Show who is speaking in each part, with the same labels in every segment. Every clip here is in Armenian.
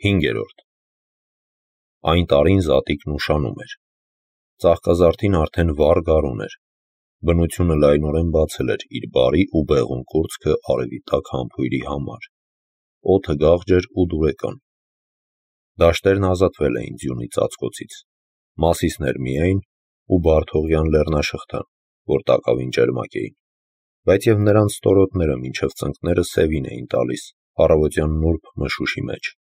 Speaker 1: 5. Այն տարին Զատիկն ուշանում էր։ Ծաղկազարդին արդեն վառ գարուն էր։ Բնությունը լայնորեն բացել էր իր բարի ու բեղուն կուրծքը արևի տակ համբույրի համար։ Օդը գաղջ էր ու դուրեկան։ Դաշտերն ազատվել էին ձյունի ծածկոցից, Մասիսներ միայն ու Բարդողյան լեռնաշղթան, որ տակավին ճերմակ էին, բայց և նրանց ստորոտները մինչև ծնկները սևին էին տալիս առավոտյան նուրբ մշուշի մեջ։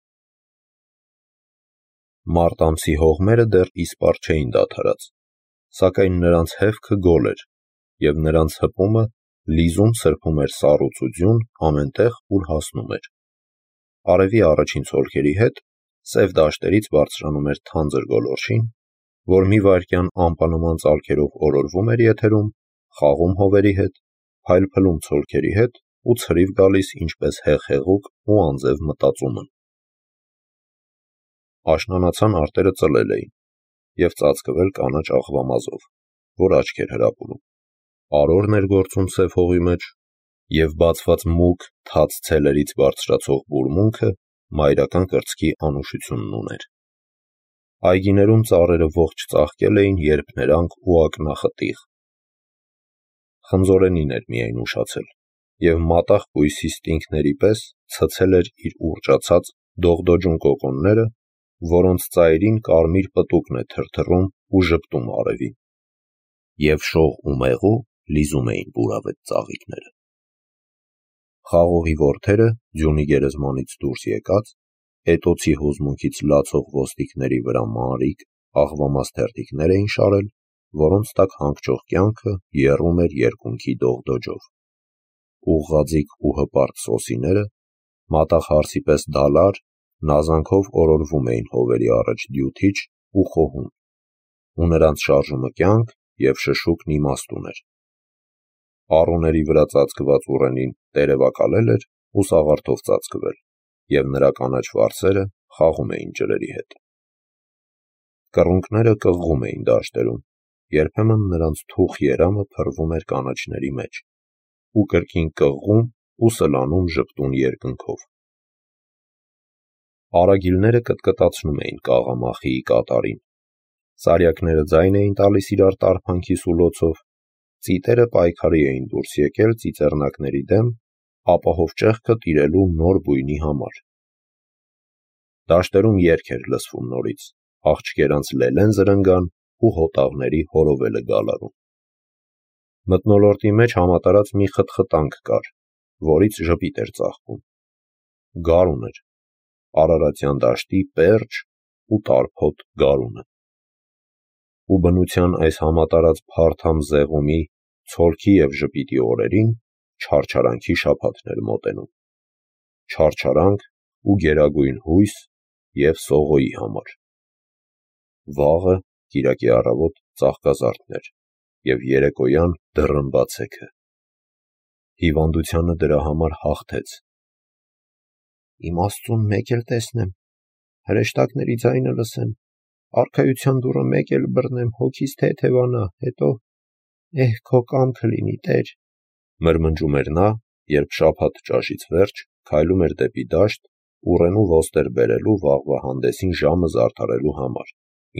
Speaker 1: Մարտ ամսի հողմերը դեռ իսպառ չէին դադարած, սակայն նրանց հևքը գոլ էր, և նրանց հպումը լիզում սրբում էր սառույց ու ձյուն ամենտեղ, ուր հասնում էր։ Արևի առաջին ցոլքերի հետ սև դաշտերից բարձրանում էր թանձր գոլորշին, որ մի վայրկյան ամպանման ծալքերով օրորվում էր եթերում, խաղում հովերի հետ, փայլփլում ցոլքերի հետ ու ցրիվ գալիս ինչպես հեղեղուկ ու անձև մտածումը։ Աշնանացան արտերը ծլել էին և ծածկվել կանաչ աղվամազով, որ աչք էր հրապուրում։ Արորն էր գործում սև հողի մեջ, և բացված մուգ թաց ցելերից բարձրացող բուրմունքը մայրական կրծքի անուշությունն ուներ։ Այգիներում ծառերը ողջ ծաղկել էին երփներանգ ու ակնախտիղ։ Խնձորենին էր միայն ուշացել, և մատաղ բույսի ստինգների պես ցցել էր իր ուռճացած դողդոջուն կոկոնները, որոնց ծայրին կարմիր պտուկն է թրթռում ու ժպտում արևին, և շող ու մեղու լիզում էին պուրավետ ծաղիկները։ Խաղողի որդերը ձյունի գերեզմանից դուրս եկած, էտոցի հուզմունքից լացող ոսტիկների վրա մանրիկ, աղվամաս թերթիկներ էին շարել, որոնց տակ հանգչող կյանքը եռում էր երկունքի դողդոջով։ Ուղղաձիգ ու հպարտ սոսիները, մատաղ հարսի պես դալար, նազանքով օրորվում էին հովերի առաջ դյութիչ ու խոհում, ու նրանց շարժումը կյանք և շշուկն իմաստ ուներ։ Առուների վրա ծածկված ուռենին տերևակալել էր ու սաղարթով ծածկվել, և նրա կանաչ վարսերը խաղում էին ջրերի հետ։ Կռունկները կղղում էին դաշտերում, երբեմն նրանց թուխ երամը փռվում էր կանաչների մեջ, ու կրկին կղղում ու սլանում ժպտուն երկնքով։ Արագիլները կտկտացնում էին կաղամախիի կատարին, սարյակները ձայն էին տալիս իրար տարփանքի սուլոցով, ծիտերը պայքարի էին դուրս եկել ծիծեռնակների դեմ ապահով ճեղքը տիրելու նոր բույնի համար։ Դաշտերում երգ էր լսվում նորից, աղջկերանց լելեն զրնգան ու հոտաղների հորովելը գալարում։ Մթնոլորտի մեջ համատարած մի խտխտանք կար, որից ժպիտ էր ծաղկում։ Գարուն էր, արարատյան դաշտի պերճ ու տարփոտ գարունը։ Ու բնության այս համատարած փարթամ զեղումի, ցոլքի և ժպիտի օրերին չարչարանքի շաբաթն էր մոտենում։ Չարչարանք ու գերագույն հույս և Սողոյի համար։ Վաղը կիրակի առավոտ ծաղկազարդն էր և երեկոյան դռնբացեքը։ Հիվանդությանը դրա համար հաղթեց։ Իմ Աստծուն մեկ էլ տեսնեմ, հրեշտակների ձայնը լսեմ, արքայության դուռը մեկ էլ բռնեմ, հոգիս թեթևանա, հետո քո կամքը լինի, Տեր, մրմնջում էր նա, երբ շաբաթ ճաշից վերջ քայլում էր դեպի դաշտ, ուռենու ոստեր բերելու վաղվա հանդեսին ժամը զարդարելու համար,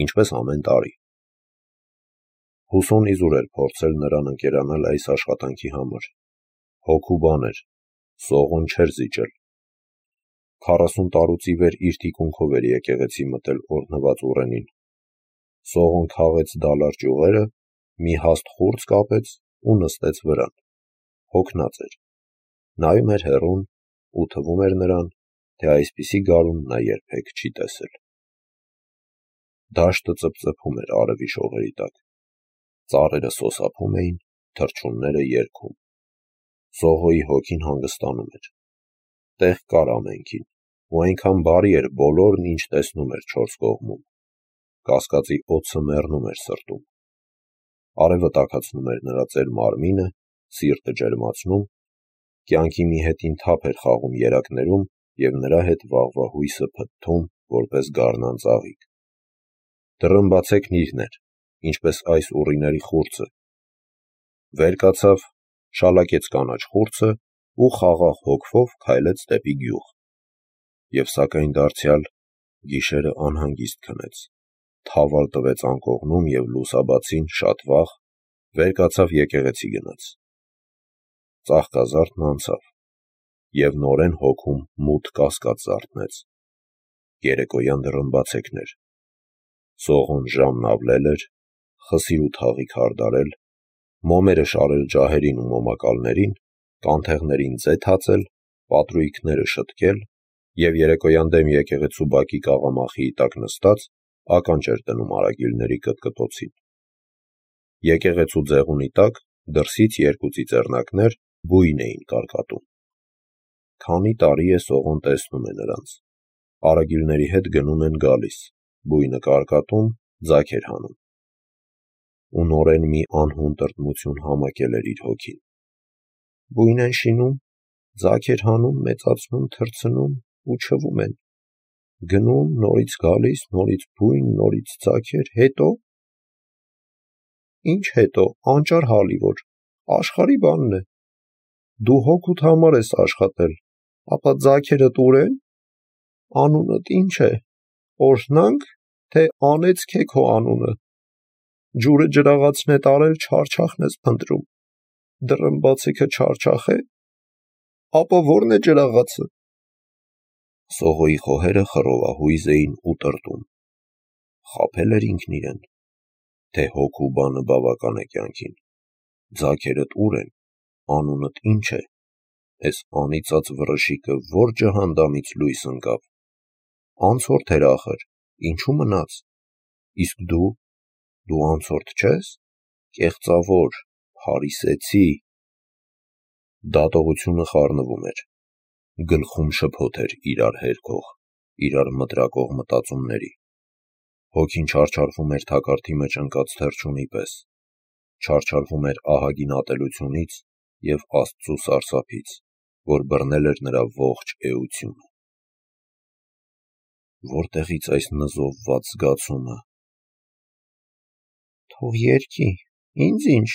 Speaker 1: ինչպես ամեն տարի։ Հուսոն իզուր էր փորձել նրան ընկերանալ այս աշխատանքի համար։ Հոգու բան էր, Սողոն չէր զիջել։ 40 տարուց ի վեր իր թիկունքով էր եկեղեցի մտել օրհնված ուռենին։ Սողոն քաղեց դալար ճյուղերը, մի հաստ խուրձ կապեց ու նստեց վրան։ Հոգնած էր։ Նայում էր հեռուն ու թվում էր նրան, թե այսպիսի գարուն նա երբեք չի տեսել։ Դաշտը ծպծփում էր արևի շողերի տակ։ Ծառերը սոսափում էին, թռչունները երգում։ Սողոյի հոգին հանգստանում էր։ Տեղ կար ամենքին, ու այնքան բարի էր բոլորն, ինչ տեսնում էր չորս կողմում։ Կասկածի օձը մեռնում էր սրտում։ Արևը տաքացնում էր նրա ծեր մարմինը, սիրտը ջերմացնում, կյանքի մի հետին թափ էր խաղում երակներում և նրա հետ վաղվա հույսը փթթում, որպես գարնան ծաղիկ։ Դռնբացեքն իրն էր, ինչպես այս ուռիների խուրձը։ Վեր կացավ, շալակեց կանաչ խուրձը ու խաղաղ հոգվով քայլեց դեպի գյուղ։ Եվ սակայն դարձյալ Գիշերը անհանգիստ քնեց, թավալ տվեց անկողնում և լուսաբացին շատ վաղ, վեր կացավ եկեղեցի գնաց, ծաղկազարդն անցավ, և նորեն հոգում մութ կասկած զարթնեց, երեկոյան դռնբացեքներ, Սողոն ժամն ավլել էր, խսիր ու թաղի քարդարել, մոմերը շարել ջահերին ու մոմակալներին, կանթեղներին ձե թացել, պատրույգները շտկել և երեկոյան դեմ եկեղեցու բակի կաղամախիի տակ նստած, ականջ էր դնում արագիլների կտկտոցին։ Եկեղեցու ձեղունի տակ դրսից երկու ծիծեռնակներ բույն էին կարկատում։ Քանի տարի է Սողոն տեսնում է նրանց։ Արագիլների հետ գնում են գալիս, բույնը կարկատում, ձագ էր հանում։ Ու նորեն մի անհուն տրտմություն համակել էր իր հոգին։ Բույն են շինում, ձագ էր հանում, մեծացնում, թռցնում ու չվում են։ Գնում, նորից գալիս, նորից բույն, նորից ձագեր, հետո։ Ինչ հետո, անճար հալիվոր, աշխարհի բանն է։ Դու հոգուդ համար ես աշխատել, ապա ձագերդ ուր են։ Անունդ ինչ է, օրհնանք, թե անեծք է քո անունը։ Ջուրը ջրաղացն է տարել, չարչախն ես փնտրում։ Դռնբացեքը չարչախ է, ապա ո՞րն է ջրաղացը։ Սողոյի խոհերը խռովահույզ էին ու տրտում։ Խաբել էր ինքն իրեն, թե հոգու բանը բավական է կյանքին։ Ձագերդ ուր են, անունդ ինչ է, էս անիծած վրշիկը որ ջհանդամից լույս ընկավ։ Անցորդ էր ախր, ինչու մնաց։ Իսկ դու անցորդ չես, կեղծավոր, փարիսեցի։ Դատողությունը խառնվում էր, գլխում շփոթ էր իրար հերքող, իրար մտրակող մտածումների, հոգին չարչարվում էր թակարդի մեջ ընկած թռչունի պես, չարչարվում էր ահագին ատելությունից և Աստծու սարսափից, որ բռնել էր նրա ողջ էությունը։ Որտեղից այս նզովված զգացումը։ Թող երգի, ինձ ինչ։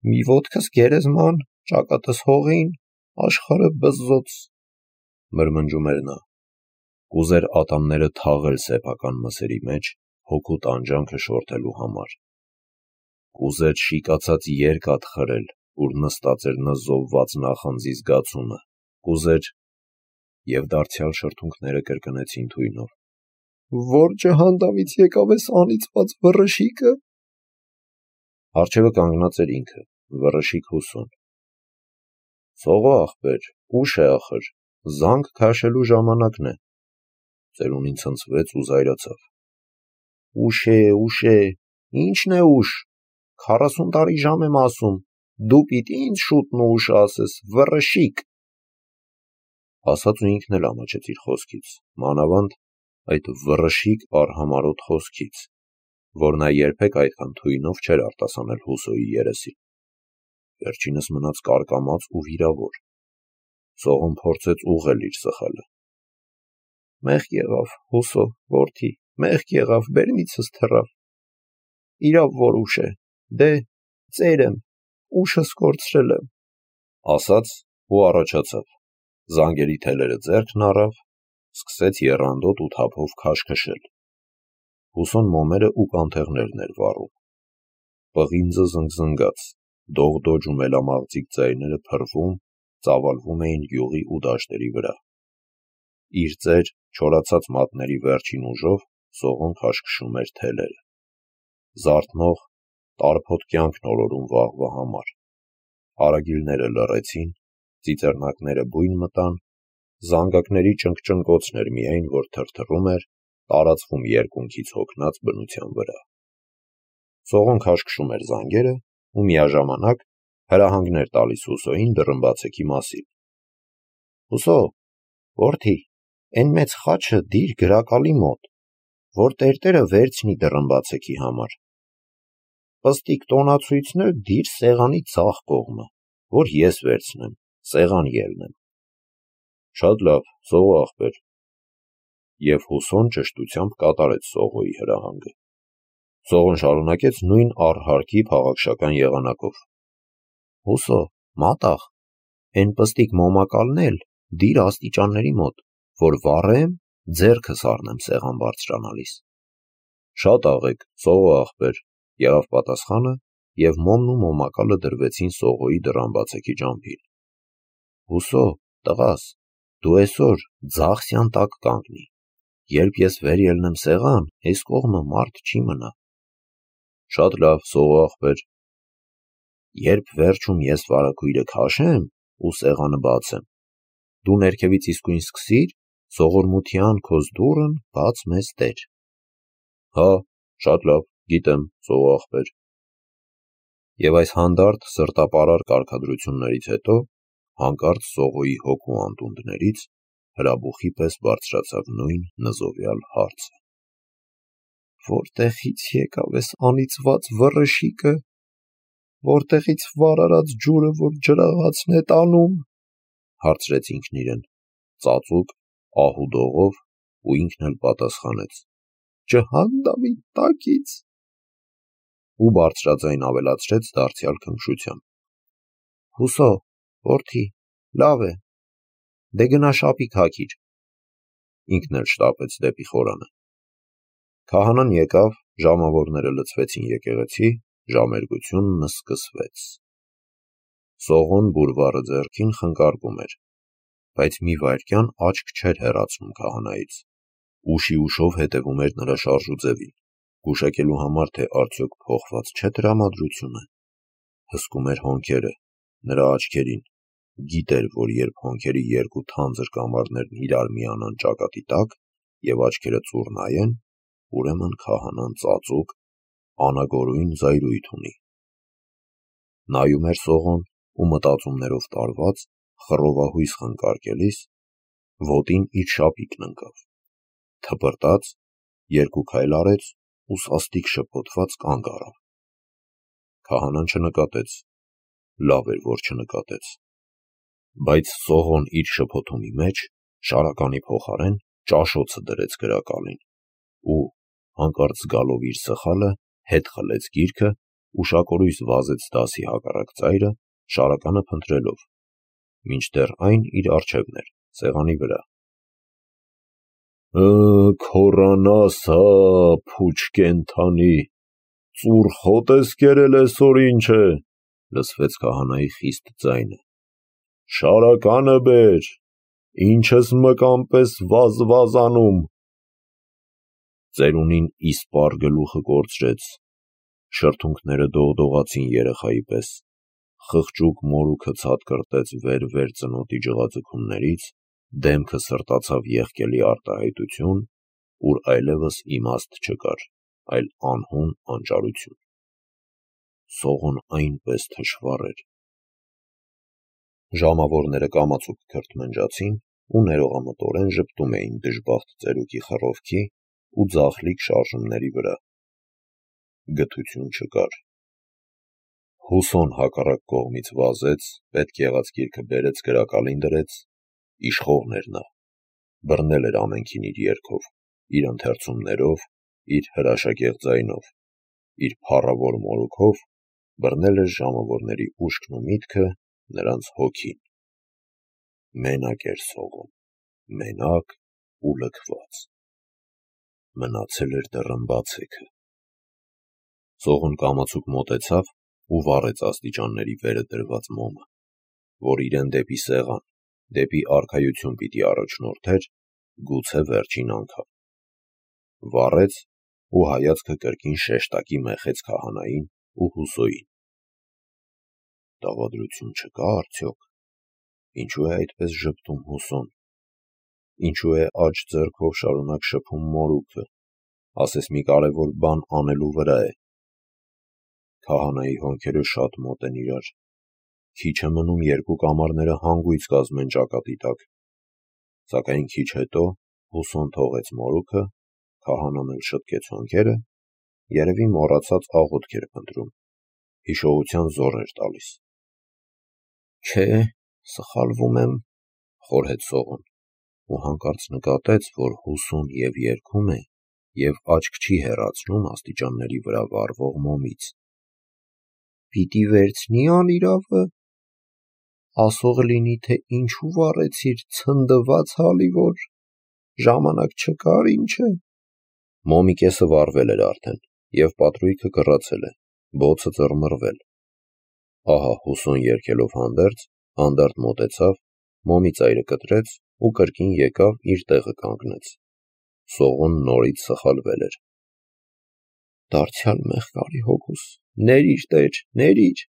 Speaker 1: Մի ոտքս գերեզման, ճակատս հողին, աշխարհը բզզոց, մրմնջում էր նա։ Կուզեր ատամները թաղել սեփական մսերի մեջ, հոգու տանջանքը շորթելու համար։ Կուզեր շիկացած երկաթ խրել, ուր նստած էր նզովված նախանձի զգացումը, կուզեր… Եվ դարձյալ շրթունքները կրկնեցին թույնով. Որ ջհանդամից եկավ էս անիծված վռշիկը։ Առջևը կանգնած էր ինքը, վռշիկ Հուսոն։ Սողո ախպեր, ուշ է ախր, զանգ քաշելու ժամանակն է։ Ծերունին ցնցվեց ու զայրացավ։ Ուշ է, ինչն է ուշ, 40 տարի ժամ եմ ասում, դու պիտի ինձ շուտն ու ուշը ասես, վռշիկ։ Ասաց ու ինքն էլ ամաչեց իր խոսքից, մանավանդ այդ վռշիկ արհամարհոտ խոսքից, որ նա երբեք այդքան թույնով չէր արտասանել Հուսոյի երեսին։ Վերջինս մնաց կարկամած ու վիրավոր։ Սողոն փորձեց ուղղել իր սխալը։ Մեղք եղավ, Հուսո, որդի, մեղք եղավ, բերնիցս թռավ։ Իրավ որ ուշ է, դե, ծեր եմ, ուշս կորցրել եմ, ասաց ու առաջացավ, զանգերի թելերը ձեռքն առավ, սկսեց եռանդոտ ու թափով քաշքշել։ Հուսոն մոմերը ու կանթեղներն էր վառում։ Պղինձը զնգզնգաց, դողդոջ ու մելամաղձիկ ձայները փռվում, ծավալվում էին յուղի ու դաշտերի վրա։ Իր ծեր չորացած մատների վերջին ուժով Սողոն քաշքշում էր թելերը։ Զարթնող, տարփոտ կյանքն օրորում վաղվա համար։ Արագիլները լռեցին, ծիծեռնակները բույն մտան, զանգակների ճնգճնգոցն էր միայն, որ թրթռում էր, տարածվում երկունքից հոգնած բնության վրա։ Սողոն քաշքշում էր զանգերը ու միաժամանակ հրահանգներ տալիս Հուսոյին դռնբացեքի մասին։ Հուսո, որդի, էն մեծ խաչը դիր գրակալի մոտ, որ տերտերը վերցնի դռնբացեքի համար։ Պստիկ տոնացույցն էլ դիր սեղանի ձախ կողմը, որ ես վերցնեմ, սեղան ելնեմ։ Շատ լավ, Սողո ախպեր։ Եվ Հուսոն ճշտությամբ կատարեց Սողոյի հրահանգը։ Սողոն շարունակեց նույն առհարկի փաղաքշական եղանակով. Հուսո, մատաղ, էն պստիկ մոմակալն էլ դիր աստիճանների մոտ, որ վառեմ, ձեռքս առնեմ սեղան բարձրանալիս։ Շատ աղեք, Սողո աղբեր, եղավ պատասխանը, և մոմն ու մոմակալը դրվեցին Սողոյի դռան բացեքի ճամփին։ Հուսո, տղաս, դու այսօր ձախսյան տակ կանգնի, երբ ես վեր ելնեմ սեղան, այս կողմը մարդ չի մնա։ Շատ լավ, Սողո աղբեր։ Երբ վերջում ես վարագույրը քաշեմ ու սեղանը բացեմ, դու ներքևից իսկույն սկսիր, սողորմության քոզ դուռն բաց մեզ տեր։ Հա, շատ լավ, գիտեմ, Սողո աղբեր։ Եվ այս հանդարտ սրտապարար կարգադրություններից հետո հանկարծ Սողոյի հոգու անդունդներից հրաբուխի պես բարձրացավ նույն նզովյալ հարցը. Որտեղից եկավ էս անիծված վռշիկը, որտեղից վարարած ջուրը, որ ջրաղացն է տանում, հարցրեց ինքն իրեն, ծածուկ, ահուդողով, ու ինքն էլ պատասխանեց. ջհանդամի տակից, ու բարձրաձայն ավելացրեց դարձյալ քնքշությամբ. Հուսո, որդի, լավ է, դե գնա շապիկ հագիր։ Ինքն էլ շտապեց դեպի խորանը։ Քահանան եկավ, ժամավորները լցվեցին եկեղեցի, ժամերգությունն սկսվեց։ Սողոն բուրվարը ձեռքին խնկարկում էր, բայց մի վայրկյան աչք չէր հեռացնում քահանայից, ուշի ուշով հետևում էր նրա շարժուձևին, գուշակելու համար, թե արդյոք փոխված չէ տրամադրությունը, հսկում էր հոնքերը, նրա աչքերին, գիտեր, որ երբ հոնքերի երկու թանձր կամարներն իրար միանան ճակատի տակ և աչքերը ծուռ նայեն, ուրեմն քահանան ծածուկ, անագորույն զայրույթ ունի։ Նայում էր Սողոն ու մտածումներով տարված, խռովահույս խնկարկելիս, ոտին իր շապիկն ընկավ, թպրտաց, երկու քայլ արեց ու սաստիկ շփոթված կանգ առավ։ Քահանան չնկատեց, լավ էր, որ չնկատեց, բայց Սողոն իր շփոթումի մեջ շարականի փոխարեն ճաշոցը դրեց գրակալին ու, հանկարծ զգալով իր սխալը, հետ խլեց գիրքը, ուշակորույս վազեց դասի հակառակ ծայրը, շարականը փնտրելով, մինչդեռ այն իր առջևն էր, սեղանի վրա։ Քորանաս հա, փուչ կենդանի, ծուռ խոտ ես կերել այսօր ինչ է, լսվեց քահանայի խիստ ձայնը։ Շարականը բեր, ինչ ես մկան պես վազվազանում։ Ծերունին իսպառ գլուխը կորցրեց, շրթունքները դողդողացին երեխայի պես, խղճուկ մորուքը ցատկրտեց վեր-վեր ծնոտի ջղաձգումներից, դեմքը սրտացավ եղկելի արտահայտություն, ուր այլևս իմաստ չկար, այլ անհուն անճարություն։ Սողոն այնպես թշվառ էր։ Ժամավորները կամացուկ քրթմնջացին ու ներողամտորեն ժպտում էին դժբախտ ծերուկի խռովքի ու ձախլիկ շարժումների վրա։ Գթություն չկար։ Հուսոն հակառակ կողմից վազեց, պետք եղած գիրքը բերեց գրակալին դրեց, իշխողն էր նա, բռնել էր ամենքին իր երգով, իր ընթերցումներով, իր հրաշագեղ ձայնով, իր փառավոր մորուքով, բռնել էր ժամավորների ուշքն ու միտքը, նրանց հոգին։ Մենակ էր Սողոն, մենակ ու լքված։ Մնացել էր դռն բացեքը։ Սողոն կամացուկ մոտեցավ ու վառեց աստիճանների վերը դրված մոմը, որ իրեն դեպի սեղան, դեպի արքայություն պիտի առաջնորդեր, գուցե վերջին անգամ։ Վառեց ու հայացքը կրկին շեշտակի մեխեց քահանային ու Հուսոյին։ Դավադրություն չկա արդյոք։ Ինչու է այդպես ժպտում Հուսոն։ Ինչու է աջ ձեռքով շարունակ շփում մորուքը, ասես մի կարևոր բան անելու վրա է։ Քահանայի հոնքերը շատ մոտ են իրար, քիչ է մնում երկու կամարները հանգույց կազմեն ճակատի տակ, սակայն քիչ հետո Հուսոն թողեց մորուքը, քահանան էլ շտկեց հոնքերը, երևի մոռացած աղոթք էր փնտրում, հիշողության զոռ էր տալիս։ Չէ, սխալվում եմ, խորհեց Սողոն, ու հանկարծ նկատեց, որ Հուսոն և երգում է, և աչք չի հեռացնում աստիճանների վրա վառվող մոմից։ Պիտի վերցնի անիրավը, ասող լինի, թե ինչու վառեցիր ցնդված հալի որ։ ժամանակ չկար, ինչ է։ Մոմի կեսը վառվել էր արդեն, և պատրույգը կռացել է, բոցը ծռմռվել։ Ահա Հուսոն երգելով հանդերձ, հանդարտ մոտեցավ, Մոմի ծայրը կտրեց ու կրկին եկավ իր տեղը կանգնեց։ Սողոն նորից սխալվել էր։ Դարձյալ մեղկարի հոգուս, ներիր Տեր, ներիր,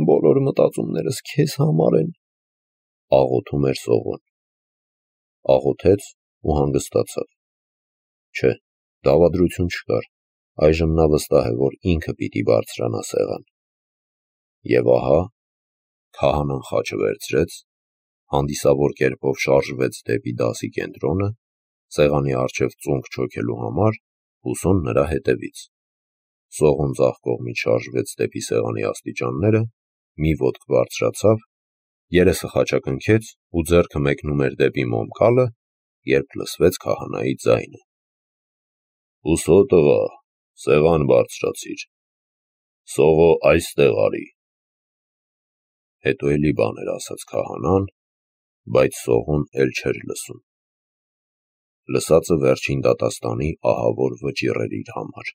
Speaker 1: բոլոր մտածումներս քեզ համար են, աղոթում էր Սողոն։ Աղոթեց ու հանգստացավ։ Չէ, դավադրություն չկար, այժմ նա վստահ է, որ ինքը պիտի բարձրանա սեղան։ Եվ ահա, քահանան խաչը վերցրեց, հանդիսավոր կերպով շարժվեց դեպի դասի կենտրոնը, սեղանի առջև ծունկ չոքելու համար, Հուսոն նրա հետևից։ Սողոն ձախ կողմից շարժվեց դեպի սեղանի աստիճանները, մի ոտք բարձրացավ, երեսը խաչակնքեց ու ձեռքը մեկնում էր դեպի մոմկալը, երբ լսվեց քահանայի ձայնը. «Հուսո տղա, սեղան բարձրացիր, Սողո այստեղ արի»։ Հետո էլի բաներ ասաց քահանան, բայց Սողոն էլ չէր լսում։ Լսածը վերջին դատաստանի ահավոր վճիռ էր իր համար։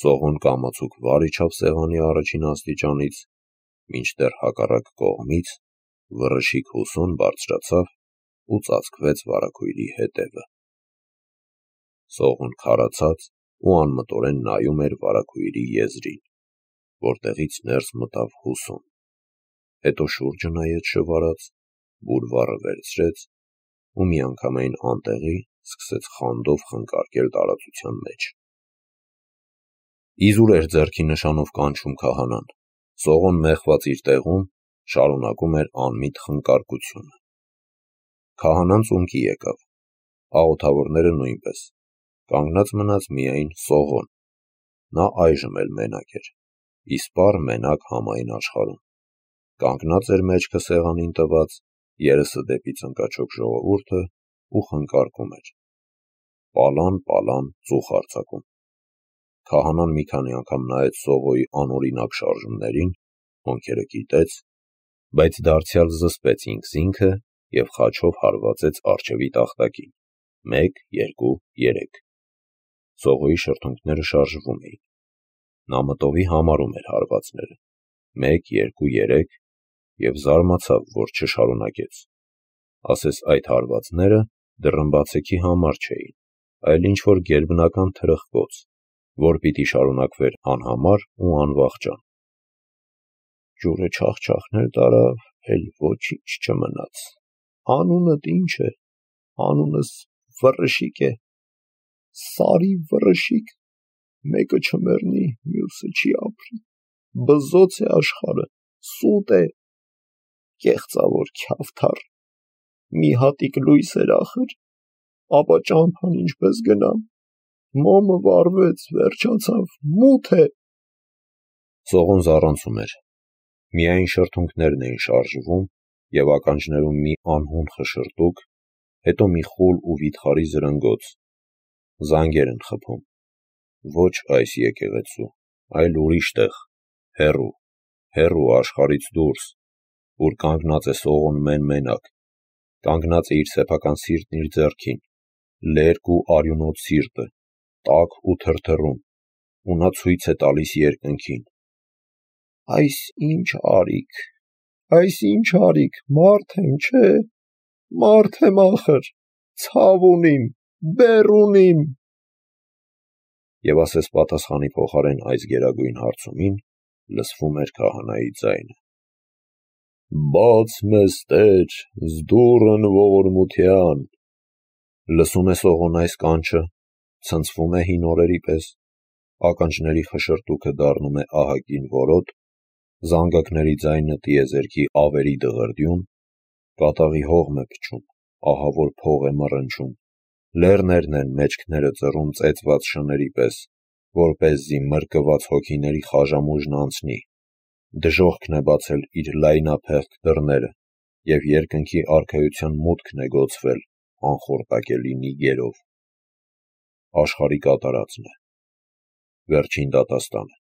Speaker 1: Սողոն կամացուկ վար իջավ սեղանի առաջին աստիճանից, մինչդեռ հակառակ կողմից վռշիկ Հուսոն բարձրացավ ու ծածկվեց վարագույրի հետևը։ Սողոն քարացած ու անմտորեն նայում էր վարագույրի եզրին, որտեղից ներս մտավ Հուսոն, հետո շուրջը նայեց շվարած, բուրվառը վերցրեց ու միանգամայն անտեղի սկսեց խանդով խնկարկել տարածության մեջ։ Իզուր էր ձեռքի նշանով կանչում քահանան, Սողոն մեխված իր տեղում շարունակում էր անմիտ խնկարկությունը։ Քահանան ծունկի եկավ, աղոթավորները նույնպես, կանգնած մնաց միայն Սողոն։ Նա այժմ էլ մենակ էր, իսպառ մենակ համայն աշխարհում, կանգնած էր մեջքը սեղանին տված, երեսը դեպի ծնկաչոք ժողովուրդը ու խնկարկում էր։ Պալան ծուխ արձակում։ Քահանան մի քանի անգամ նայեց Սողոյի անօրինակ շարժումներին, հոնքերը կիտեց, բայց դարձյալ զսպեց ինքզինքը և խաչով հարվածեց առջևի տախտակին, 1, 2, 3։ Սողոյի շրթունքները շարժվում էին։ Նա մտովի համարում էր հարվածները, 1, 2, 3, և զարմացավ, որ չշարունակեց։ Ասես այդ հարվածները դռնբացեքի համար չէին, այլ ինչ-որ գերբնական թրխկոց, որ պիտի շարունակվեր անհամար ու անվախճան։ Ջուրը չախչախներ տարավ, էլ ոչինչ չմնաց։ Անունդ ինչ է, անունս վռշիկ է, Սարի վռշիկ, մեկը չմեռնի, մյուսը չի ապրի, բզոց է աշխարհը, սուտ է, կեղծավոր քյավթառ, մի հատիկ լույս էր ախր, ապա ճամփան ինչպես գնամ, մոմը վառվեց, վերջացավ, մութ է։ Սողոն զառանցում էր, միայն շրթունքներն էին շարժվում և ականջներում մի անհուն խշշրտուք, հետո մի խուլ ու վիթխարի զրնգոց։ Զանգեր են խփում, ոչ այս եկեղեցու, այլ ուրիշ տեղ, հեռու աշխարհից դուրս, ուր կանգնած է Սողոն մեն-մենակ, կանգնած է իր սեփական սիրտն իր ձեռքին, լերկ ու արյունոտ սիրտը, տաք ու թրթռում, ու նա ցույց է տալիս երկնքին. այս ինչ արիք, մարդ եմ, չէ, մարդ եմ ախր, ցավ ունիմ, բեռ ունիմ։ Եվ ասես պատասխանի փոխարեն այս գերագույն հարցումին լսվում էր քահանայի ձայնը. «Բաց մեզ Տեր, զդուռն ողորմության»։ Լսում է Սողոն այս կանչը, ցնցվում է հին օրերի պես, ականջների խշշրտուքը դառնում է ահագին որոտ, զանգակների ձայնը տիեզերքի ավերի դղրդյուն, կատաղի հողմ է փչում, ահավոր փող է մռնչում, լեռներն են մեջքները ծռում ծեծված շների պես, որպեսզի մրկված հոգիների խաժամուժն անցնի, դժոխքն է բացել իր լայնափեղկ դռները, և երկնքի արքայության մուտքն է գոցվել անխորտակելի նիգերով։ Աշխարհի կատարածն է, վերջին դատաստանը,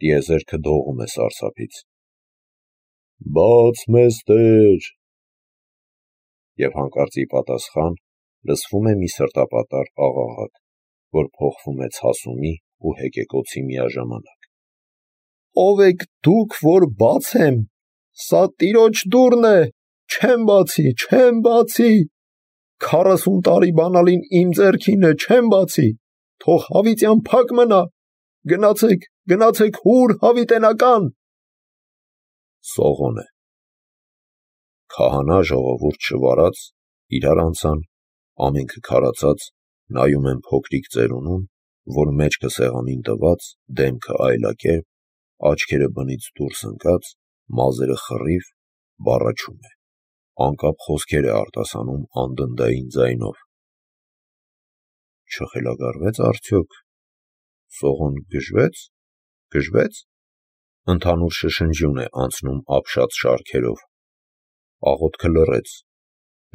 Speaker 1: տիեզերքը դողում է սարսափից։ Բաց մեզ Տեր։ Եվ հանկարծ ի պատասխան լսվում է մի սրտապատար աղաղակ, որ փոխվում է ցասումի ու հեկեկոցի միաժամանակ։ «Ո՞վ եք դուք, որ բացեմ, սա տիրոջ դուռն է, չեմ բացի, 40 տարի բանալին իմ ձեռքին է, չեմ բացի, թող հավիտյան փակ մնա, գնացեք հուր հավիտենական»։ Սողոն է։ Քահանա ժողովուրդ շվարած, իրար անցան, ամենքը քարացած, նայում են փոքրիկ ծերունուն, որ մեջքը սեղանին տված, դեմքը այլակերպ, աչքերը բնից դուրս ընկած, մազերը խռիվ, բառաչում է, անկապ խոսքեր է արտասանում անդնդային ձայնով։ Չխելագարվեց արդյոք։ Սողոն գժվեց։ Ընդհանուր շշնջյուն է անցնում ապշած շարքերով։ Աղոթքը լռեց,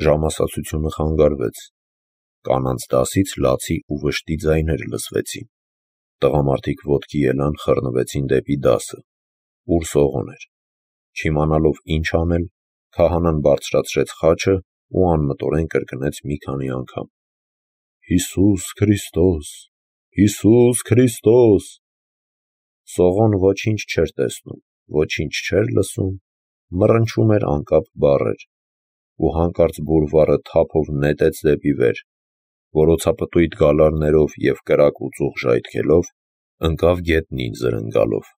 Speaker 1: ժամասացությունը խանգարվեց, կանանց դասից լացի ու վշտի ձայներ լսվեցին, տղամարդիկ ոտքի ելան, խռնվեցին դեպի դասը, ուր Սողոն էր։ Չիմանալով ինչ անել, քահանան բարձրացրեց խաչը ու անմտորեն կրկնեց մի քանի անգամ. «Հիսուս Քրիստոս»։ Սողոն ոչինչ չէր տեսնում, ոչինչ չէր լսում, մռնչում էր անկապ բառեր, ու հանկարծ բուրվառը թափով նետեց դեպի վեր, որոցապտույտ գալարներով և կրակ ու ծուխ ժայթքելով, ընկավ գետնին զրնգալով։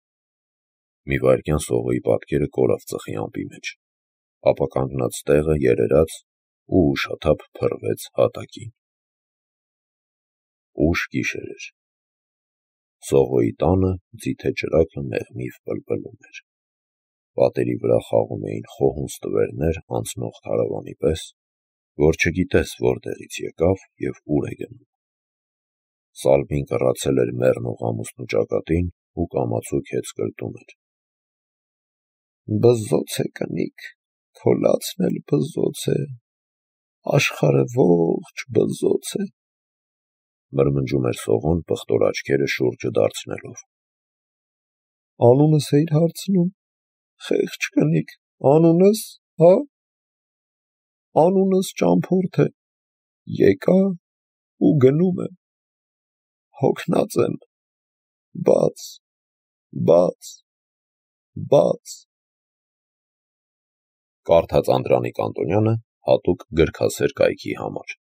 Speaker 1: Մի վայրկյան Սողոյի պատկերը կորավ ծխի ամպի մեջ, ապա կանգնած տեղը երերաց ու ուշաթափ փռվեց հատակին։ Ուշ գիշեր էր։ Սողոյի տանը ձիթե ճրագը մեղմիվ պլպլում էր։ Պատերի վրա խաղում էին խոհունց տվերներ անցնող քարավանի պես, որ չգիտես որտեղից եկավ և ուր է գնում։ Սալվին կռացել էր մեռնող ամուսնու ճակատին ու կամացուկ հեծ կրտում էր։ «Բզոց է կնիկ, քո լացն էլ բզոց է, աշխարհը ողջ բզոց է», մրմնջում էր Սողոն պղտոր աչքերը շուրջը դարձնելով։ «Անունս էիր հարցնում, խեղճ կնիկ, անունս, հա»։ «Անունս ճամփորդ է, եկա ու գնում եմ, հոգնած եմ, բաց»։ Կարդաց Անդրանիկ Անտոնյանը հատուկ գրքասեր կայքի համար։